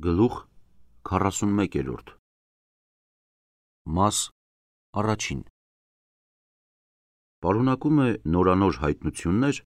Գլուխ 41 Մաս առաջին Պարունակում է նորանոր հայտնություններ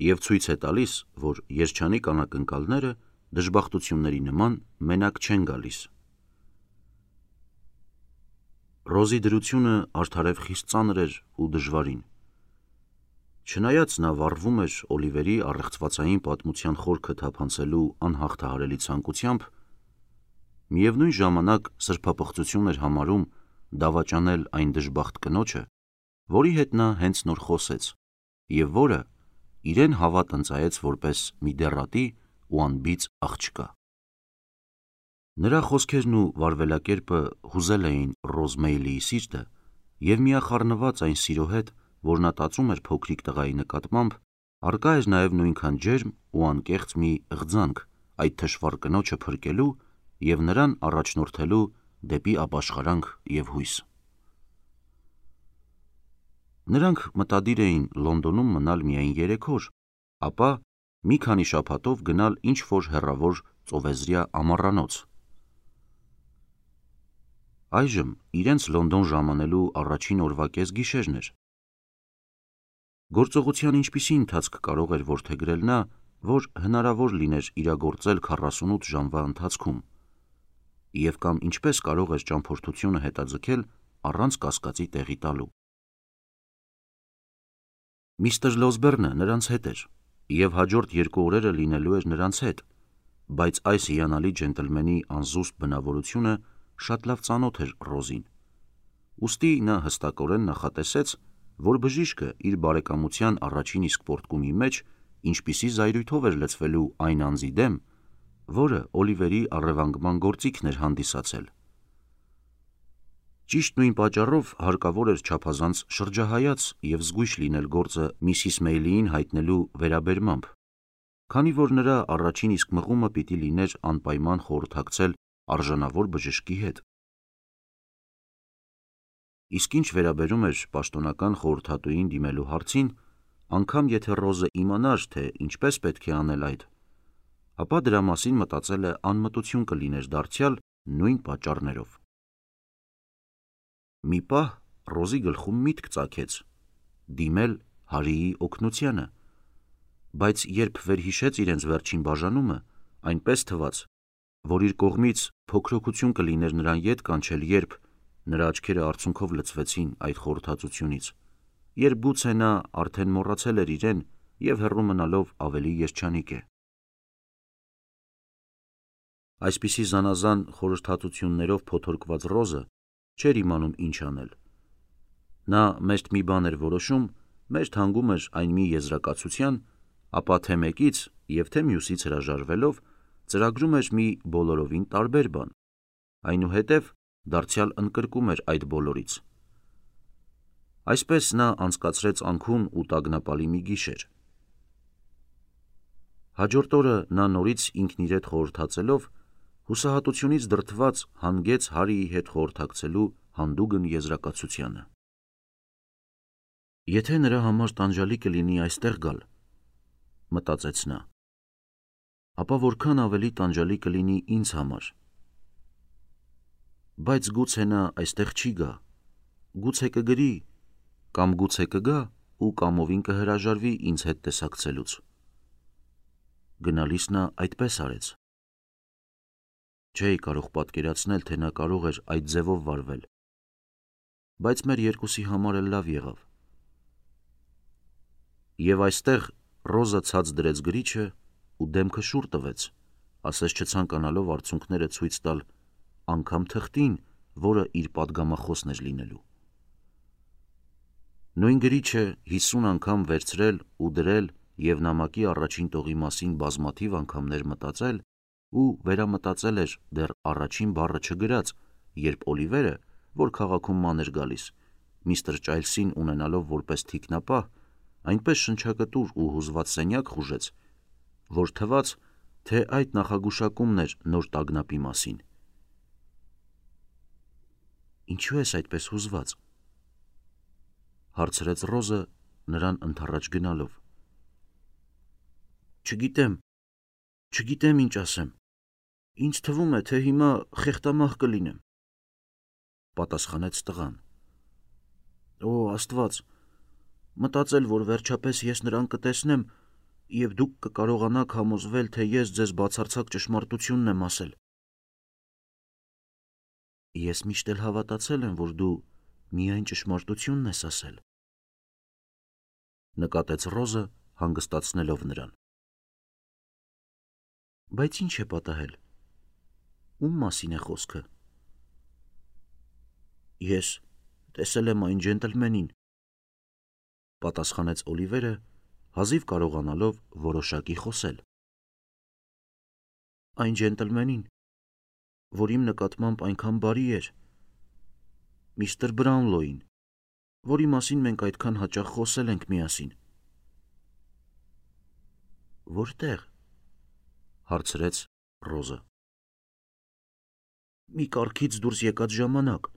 և ցույց է տալիս, որ երջանիկ անակնկալները դժբախտությունների նման մենակ չեն գալիս։ Ռոզի դրությունը արդարև խիստ ծանր էր ու դժվարին։ Չնայած նա վառվում էր Օլիվերի առեղծվածային պատմության խորքը թափանցելու անհաղթահարելի ցանկությամբ, միևնույն ժամանակ սրբապղծություն էր համարում դավաճանել այն դժբախտ կնոջը, որի հետ նա հենց նոր խոսեց, և որը իրեն հավատ ընծայեց որպես մի դեռատի ու անբիծ աղջկա։ Նրա խոսքերն ու վարվելակերպը հուզել էին Ռոզ Մեյլիի սիրտը, և միախառնված այն սիրո հետ, որ նա տածում էր փոքրիկ տղայի նկատմամբ, առկա էր նաև նույնքան ջերմ ու անկեղծ մի ղձանք այդ թշվառ կնոջը փրկելու և նրան առաջնորդելու դեպի ապաշխարանք և հույս։ Նրանք մտադիր էին Լոնդոնում մնալ միայն 3 օր, ապա մի քանի շաբաթով գնալ ինչ-որ հեռավոր ծովեզրյա ամառանոց։ Այժմ իրենց Լոնդոն ժամանելու առաջին օրվա կեսգիշերն էր։ Գործողության ինչպիսի ընթացք կարող էր որդեգրել նա, որ հնարավոր լիներ իրագործել 48 ժամվա ընթացքում, և կամ ինչպես կարող էր ճամփորդությունը հետաձգել առանց կասկածի տեղի տալու։ Միսթր Լոսբերնը նրանց հետ էր, և հաջորդ 2 օրերը լինելու էր նրանց հետ, բայց այս հիանալի ջենտլմենի անզուսպ բնավորությունը շատ լավ ծանոթ էր Ռոզին, ուստի նա հստակորեն նախատեսեց, որ բժիշկը իր բարեկամության առաջին իսկ պոռթկումի մեջ ինչպիսի զայրույթով էր լցվելու այն անձի դեմ, որը Օլիվերի առևանգման գործիքն էր հանդիսացել։ Ճիշտ նույն պատճառով հարկավոր էր չափազանց շրջահայաց և զգույշ լինել գործը Միսիս Մեյլիին հայտնելու վերաբերմամբ, քանի որ նրա առաջին իսկ մղումը պիտի լիներ անպայման խորհրդակցել արժանավոր բժշկի հետ։ Իսկ ինչ վերաբերում էր պաշտոնական խորհրդատուին դիմելու հարցին, անգամ եթե Ռոզը իմանար, թե ինչպես պետք է անել այդ, ապա դրա մասին մտածելը անմտություն կլիներ դարձյալ նույն պատճառներով։ Մի պահ Ռոզի գլխում միտք ծագեց դիմել Հարիի օգնությանը, բայց երբ վերհիշեց իրենց վերջին բաժանումը, այնպես թվաց, որ իր կողմից փոքրօգություն կլիներ նրան ետ կանչել, երբ նրա աչքերը արցունքով լցվեցին այդ խորհրդածությունից, երբ գուցե նա արդեն մոռացել էր իրեն և հեռու մնալով ավելի երջանիկ է։ Այսպիսի զանազան խորհրդածություններով փոթորկված Ռոզը չէր իմանում ինչ անել։ Նա մերթ մի բան էր որոշում, մերթ հանգում էր այն մի եզրակացության, ապա թե մեկից և թե մյուսից հրաժարվելով ծրագրում էր մի բոլորովին տարբեր բան, այնուհետև դարձյալ ընկրկում էր այդ բոլորից։ Այսպես նա անցկացրեց անքուն ու տագնապալի մի գիշեր։ Հաջորդ օրը նա նորից ինքն իր հետ խորհրդածելով, հուսահատությունից դրդված հանգեց Հարիի հետ խորհրդակցելու հանդուգն եզրակացությանը։ Եթե նրա համար տանջալի կլինի այստեղ գալ, մտածեց նա, ապա որքան ավելի տանջալի կլինի ինձ համար։ Բայց գուցե նա այստեղ չի գա, գուցե կգրի, կամ գուցե կգա ու կամովին կհրաժարվի ինձ հետ տեսակցելուց։ Գնալիս նա այդպես արեց։ Չէի կարող պատկերացնել, թե նա կարող էր այդ ձևով վարվել, բայց մեր երկուսի համար էլ լավ եղավ։ Եվ այստեղ Ռոզը ցած դրեց գրիչը ու դեմքը շուռ տվեց, ասես չցանկանալով արցունքները ցույց տալ անգամ թղթին, որը իր պատգամախոսն էր լինելու։ Նույն գրիչը 50 անգամ վերցրել ու դրել և նամակի առաջին տողի մասին բազմաթիվ անգամներ մտածել ու վերամտածել էր դեռ առաջին բառը չգրած, երբ Օլիվերը, որ քաղաքում ման էր գալիս, միստր Ճայլսին ունենալով որպես թիկնապահ, այնպես շնչակտուր ու հուզված սենյակ խուժեց, որ թվաց, թե այդ նախագուշակումն էր նոր տագնապի մասին։ Ինչո՞ւ ես այդպես հուզված, հարցրեց Ռոզը նրան ընդառաջ գնալով։ Չգիտեմ ինչ ասեմ, Ինձ թվում է, թե հիմա խեղտամահ կլինեմ, պատասխանեց տղան։ Օ, Աստված, մտածել, որ վերջապես ես նրան կտեսնեմ, եւ դուք կկարողանաք համոզվել, թե ես ձեզ բացարձակ ճշմարտությունն եմ ասել։ Ես միշտ էլ հավատացել եմ, որ դու միայն ճշմարտությունն ես ասել, նկատեց Ռոզը, հանգստացնելով նրան։ Բայց ինչ է պատահել։ Ում մասին է խոսքը։ Ես տեսել եմ այն ջենտլմենին, պատասխանեց Օլիվերը, հազիվ կարողանալով որոշակի խոսել։ Այն ջենտլմենին, որ իմ նկատմամբ այնքան բարի էր, միստր Բրաունլոյին, որի մասին մենք այդքան հաճախ խոսել ենք միասին։ Որտեղ, հարցրեց Ռոզը։ Մի կառքից դուրս եկած ժամանակ,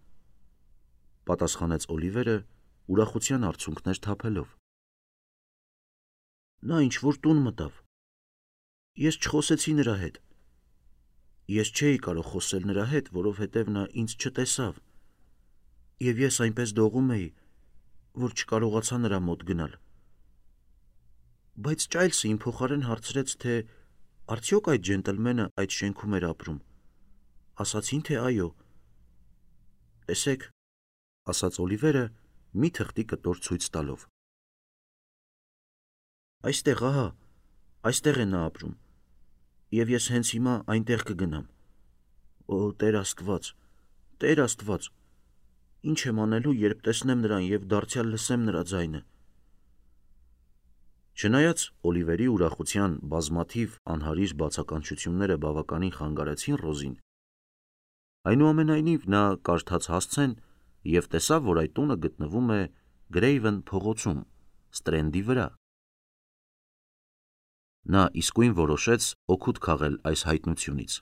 պատասխանեց Օլիվերը, ուրախության արցունքներ թափելով։ Նա ինչ-որ տուն մտավ։ Ես չխոսեցի նրա հետ։ Ես չէի կարող խոսել նրա հետ, որովհետև նա ինձ չտեսավ, եւ ես այնպես դողում էի, որ չկարողացա նրա մոտ գնալ։ Բայց Ճայլսը իմ փոխարեն հարցրեց, թե արդյոք այդ ջենտլմենը այդ շենքում էր ապրում։ Ասացին, թե այո։ Տեսեք, ասաց Օլիվերը, մի թղթի կտոր ցույց տալով։ Այստեղ, ահա, այստեղ է նա ապրում, եւ ես հենց հիմա այնտեղ կգնամ։ Օ, Տեր Աստված, Տեր Աստված, ինչ եմ անելու, երբ տեսնեմ նրան եւ դարձյալ լսեմ նրա ձայնը։ Չնայած Օլիվերի ուրախության բազմաթիվ անհարիր բացականչությունները բավականին խանգարեցին Ռոզին, այնուամենայնիվ նա կարդաց հասցեն եւ տեսավ, որ այդ տունը գտնվում է Գրեյվեն փողոցում, Ստրենդի վրա։ Նա իսկույն որոշեց օգուտ քաղել այս հայտնությունից։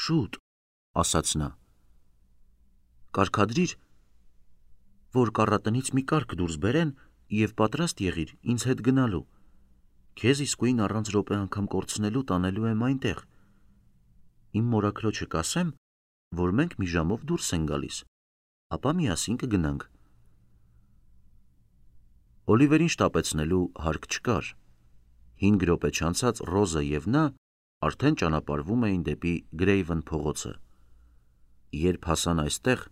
Շուտ, ասաց նա, կարգադրիր, որ կառատնից մի կարգ դուրս բերեն եւ պատրաստ եղիր ինձ հետ գնալու։ Քեզ իսկույն առանց րոպե անգամ կորցնելու տանելու եմ այնտեղ։ Իմ մորաքրոջը կասեմ, որ մենք մի ժամով դուրս ենք գալիս, ապա միասին կգնանք։ Օլիվերին շտապեցնելու հարկ չկար։ 5 րոպե չանցած Ռոզը եւ նա արդեն ճանապարհվում էին դեպի Գրեյվեն փողոցը։ Երբ հասան այստեղ,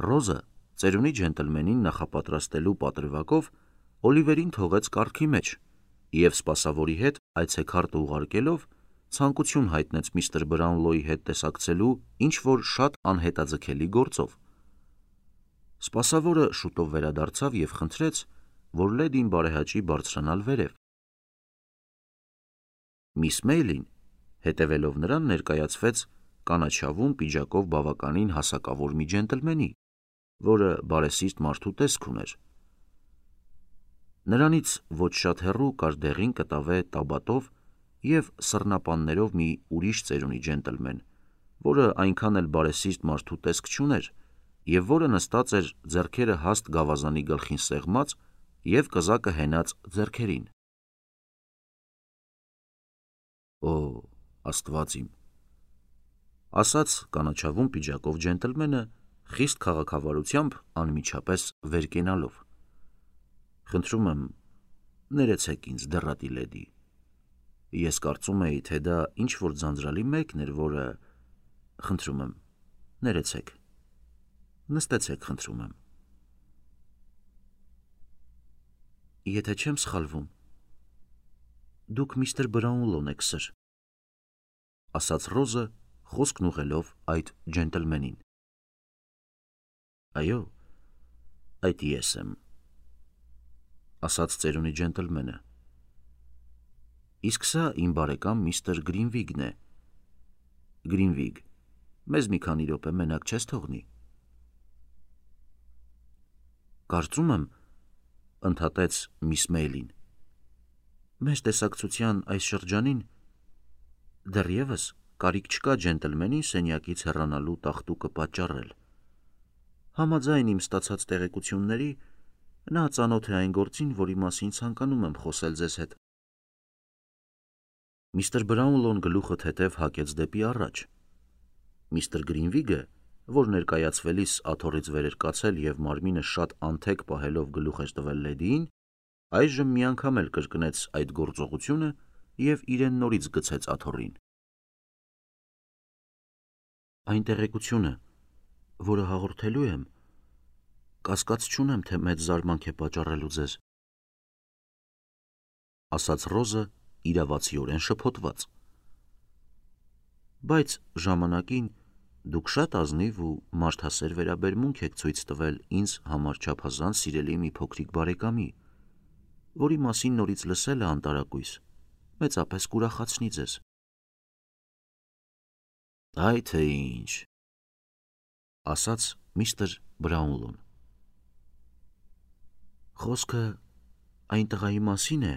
Ռոզը ծերունի ջենտլմենին նախապատրաստելու պատրվակով Օլիվերին թողեց կառքի մեջ եւ սպասավորի հետ այցեքարտը ուղարկելով ցանկություն հայտնեց միստր Բրաունլոյի հետ տեսակցելու ինչ-որ շատ անհետաձգելի գործով։ Սպասավորը շուտով վերադարձավ եւ խնդրեց, որ լեդին բարեհաճի բարձրանալ վերև։ Միս Մեյլին, հետևելով նրան, ներկայացվեց կանաչավուն պիջակով բավականին հասակավոր մի ջենտլմենի, որը բարեսիրտ մարդու տեսք ուներ։ Նրանից ոչ շատ հեռու կար դեղին կտավե տաբատով եւ սռնապաններով մի ուրիշ ծերունի ջենտլմեն, որը այնքան էլ բարեսիրտ մարդու տեսք չուներ եւ որը նստած էր ձեռքերը հաստ գավազանի գլխին սեղմած եւ կզակը հենած ձեռքերին։ Օ, Աստված իմ, ասաց կանաչավուն պիջակով ջենտլմենը, խիստ քաղաքավարությամբ անմիջապես վեր կենալով։ Խնդրում եմ, ներեցեք ինձ, դեռատի լեդի։ Ես կարծում էի, թե դա ինչ-որ ձանձրալի մեկն էր, որը… Խնդրում եմ, ներեցեք։ Նստեցեք, խնդրում եմ։ Եթե չեմ սխալվում, դուք միստր Բրաունլոն եք, սըր, ասաց Ռոզը, խոսքն ուղղելով այդ ջենտլմենին։ Այո, այդ ես եմ, ասաց ծերունի ջենտլմենը։ Իսկ սա իմ բարեկամ միստր Գրինվիգն է։ Գրինվիգ, մեզ մի քանի րոպե մենակ չես թողնի։ Կարծում եմ, ընդհատեց միս Մեյլին, մեր տեսակցության այս շրջանին դեռևս կարիք չկա ջենտլմենին սենյակից հեռանալու տախտուկը պատճառել։ Համաձայն իմ ստացած տեղեկությունների, նա ծանոթ է այն գործին, որի մասին ցանկանում եմ խոսել ձեզ հետ։ Միստր Բրաունլոն գլուխը թեթև հակեց դեպի առաջ։ Միստր Գրինվիգը, որ ներկայացվելիս աթոռից վեր էր կացել և մարմինը շատ անթեք պահելով գլուխ էր տվել լեդիին, այժմ մի անգամ էլ կրկնեց այդ գործողությունը և իրեն նորից գցեց աթոռին։ Այն տեղեկությունը, որը հաղորդելու եմ, կասկած չունեմ, թե մեծ զարմանք է պատճառելու ձեզ, ասաց Ռոզը իրավացիորեն շփոթված։ Բայց ժամանակին դուք շատ ազնիվ ու մարդասեր վերաբերմունք եք ցույց տվել ինձ համար չափազանց սիրելի մի փոքրիկ բարեկամի, որի մասին նորից լսելը անտարակույս մեծապես կուրախացնի ձեզ։ Այ թե ինչ, ասաց միստր Բրաունլոն։ Խոսքը այն տղայի մասին է,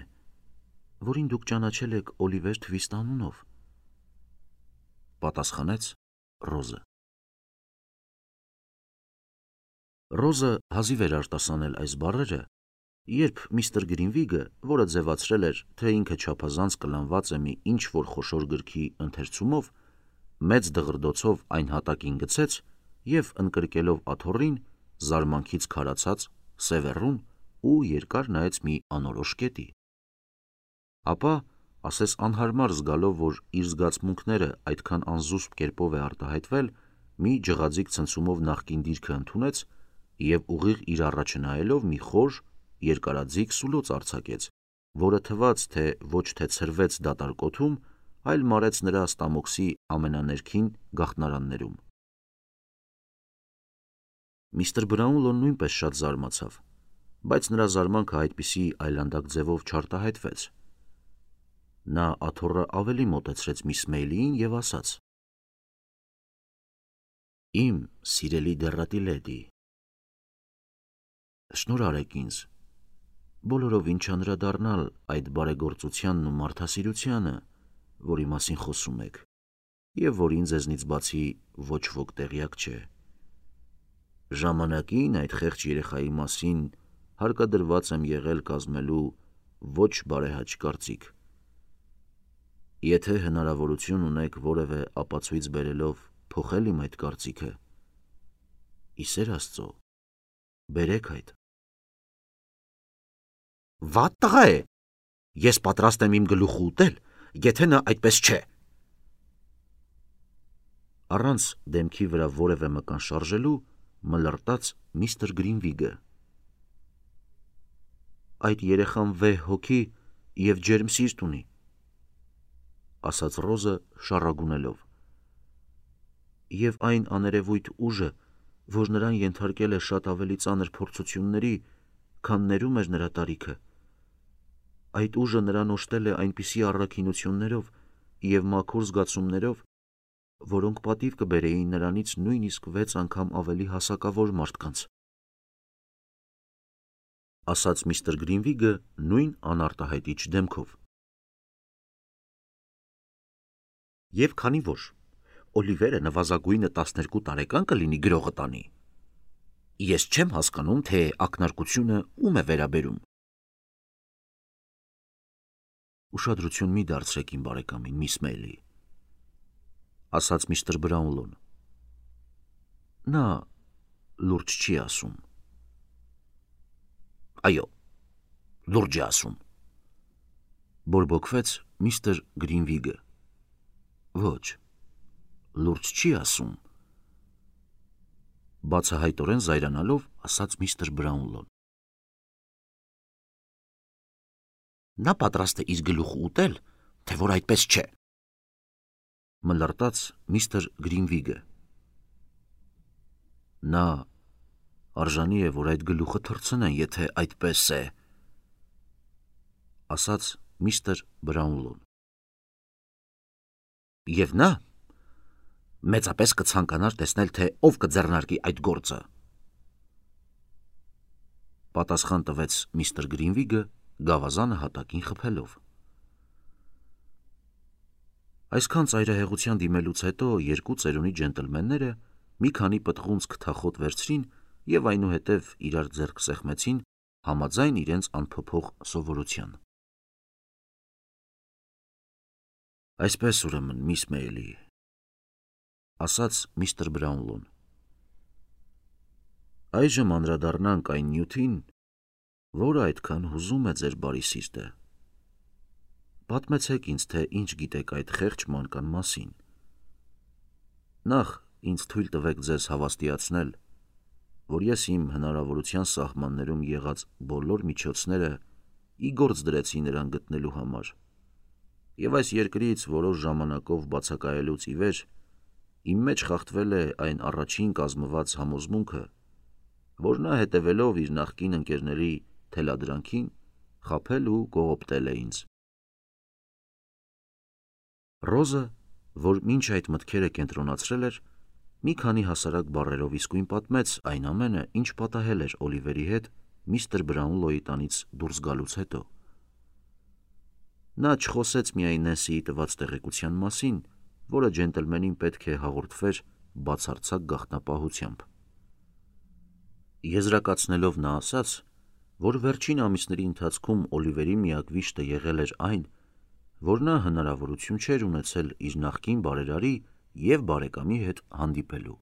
որին դուք ճանաչել եք Օլիվեր Թվիստ անունով, պատասխանեց Ռոզը։ Ռոզը հազիվ էր արտասանել այս բառերը, երբ միստր Գրինվիգը, որը ձևացրել էր, թե ինքը չափազանց կլանված է մի ինչ-որ խոշոր գրքի ընթերցումով, մեծ դղրդոցով այն հատակին գցեց և ընկրկելով աթոռին, զարմանքից քարացած, սևեռուն ու երկար նայեց մի անորոշ կետի։ Ապա, ասես անհարմար զգալով, որ իր զգացմունքները այդքան անզուսպ կերպով է արտահայտվել, մի ջղաձիգ ցնցումով նախկին դիրքը ընդունեց և ուղիղ իր առաջը նայելով մի խոր, երկարաձիգ սուլոց արձակեց, որը թվաց, թե ոչ թե ցրվեց դատարկոթում, այլ մարեց նրա ստամոքսի ամենաներքին գաղտնարաններում։ Միստր Բրաունլոն նույնպես շատ զարմացավ, բայց նրա զարմանքը այդպիսի այլանդակ ձևով չարտահայտվեց։ Նա աթոռը ավելի մոտեցրեց միս Մեյլիին և ասաց. Իմ սիրելի դեռատի լեդի, շնորհարեք ինձ բոլորովին չանդրադառնալ այդ բարեգործությանն ու մարդասիրությանը, որի մասին խոսում եք, և որին ձեզնից բացի ոչ ոք տեղյակ չէ։ Ժամանակին այդ խեղճ երեխայի մասին հարկադրված եմ եղել կազմելու ոչ բարեհաճ կարծիք։ Եթե հնարավորություն ունեք որևէ ապացույց բերելով փոխել իմ այդ կարծիքը, ի սեր Աստծո, բերեք այդ։ Վատ տղա է, ես պատրաստ եմ իմ գլուխը ուտել, եթե նա այդպես չէ։ Առանց դեմքի վրա որևէ մկան շարժելու մլրտաց միստր Գրինվիգը։ Այդ երեխան վեհ հոգի և ջերմ սիրտ ունի, ասաց Ռոզը շառագունելով, և այն աներևույթ ուժը, որ նրան ենթարկել է շատ ավելի ծանր փորձությունների, քան ներում էր նրա տարիքը, այդ ուժը նրան օժտել է այնպիսի առաքինություններով և մաքուր զգացումներով, որոնք պատիվ կբերեին նրանից նույնիսկ 6 անգամ ավելի հասակավոր մարդկանց, ասաց միստր Գրինվիգը նույն անարտահայտիչ դեմքով։ Եվ քանի որ Օլիվերը նվազագույնը 12 տարեկան կլինի գրողը տանի, ես չեմ հասկանում, թե ակնարկությունը ում է վերաբերում։ Ուշադրություն մի դարձրեք իմ բարեկամին, միս Մեյլի, ասաց միստր Բրաունլոն։ Նա լուրջ չի ասում։ Այո, լուրջ է ասում, բորբոքվեց միստր Գրինվիգը։ Ոչ, լուրջ չի ասում, բացահայտորեն զայրանալով ասաց միստր Բրաունլոն։ Նա պատրաստ է իր գլուխը ուտել, թե որ այդպես չէ, մլրտաց միստր Գրինվիգը։ Նա արժանի է, որ այդ գլուխը թռցնեն, եթե այդպես է, ասաց միստր Բրաունլոն։ Եվ նա մեծապես կցանկանար տեսնել, թե ով կձեռնարկի այդ գործը, պատասխան տվեց միստր Գրինվիգը գավազանը հատակին խփելով։ Այսքան ծայրահեղության դիմելուց հետո երկու ծերունի ջենտլմենները մի քանի պտղունց քթախոտ վերցրին և այնուհետև իրար ձեռք սեղմեցին համաձայն իրենց անփոփոխ սովորության։ Այսպես ուրեմն, միս Մեյլի, ասաց միստր Բրաունլոն։ Այժմ անդրադառնանք այն նյութին, որը այդքան հուզում է ձեր բարի սիրտը։ Պատմեցեք ինձ, թե ինչ գիտեք այդ խեղճ մանկան մասին։ Նախ ինձ թույլ տվեք ձեզ հավաստիացնել, որ ես իմ հնարավորության սահմաններում եղած բոլոր միջոցները ի գործ դրեցի նրան գտնելու համար, և այս երկրից որոշ ժամանակով բացակայելուց ի վեր իմ մեջ խախտվել է այն առաջին կազմված համոզմունքը, որ նա հետևելով իր նախկին ընկերների թելադրանքին խաբել ու կողոպտել է ինձ։ Ռոզը, որ մինչ այդ մտքերը կենտրոնացրել էր, մի քանի հասարակ բառերով իսկույն պատմեց այն ամենը, ինչ պատահել էր Օլիվերի հետ միստր Բրաունլոյի տանից դուրս գալուց հետո։ Նա չխոսեց միայն Նենսիի տված տեղեկության մասին, որը ջենտլմենին պետք է հաղորդվեր բացարձակ գաղտնապահությամբ։ Եզրակացնելով նա ասաց, որ վերջին ամիսների ընթացքում Օլիվերի միակ վիշտը եղել էր այն, որ նա հնարավորություն չէր ունեցել իր նախկին բարերարի և բարեկամի հետ հանդիպելու։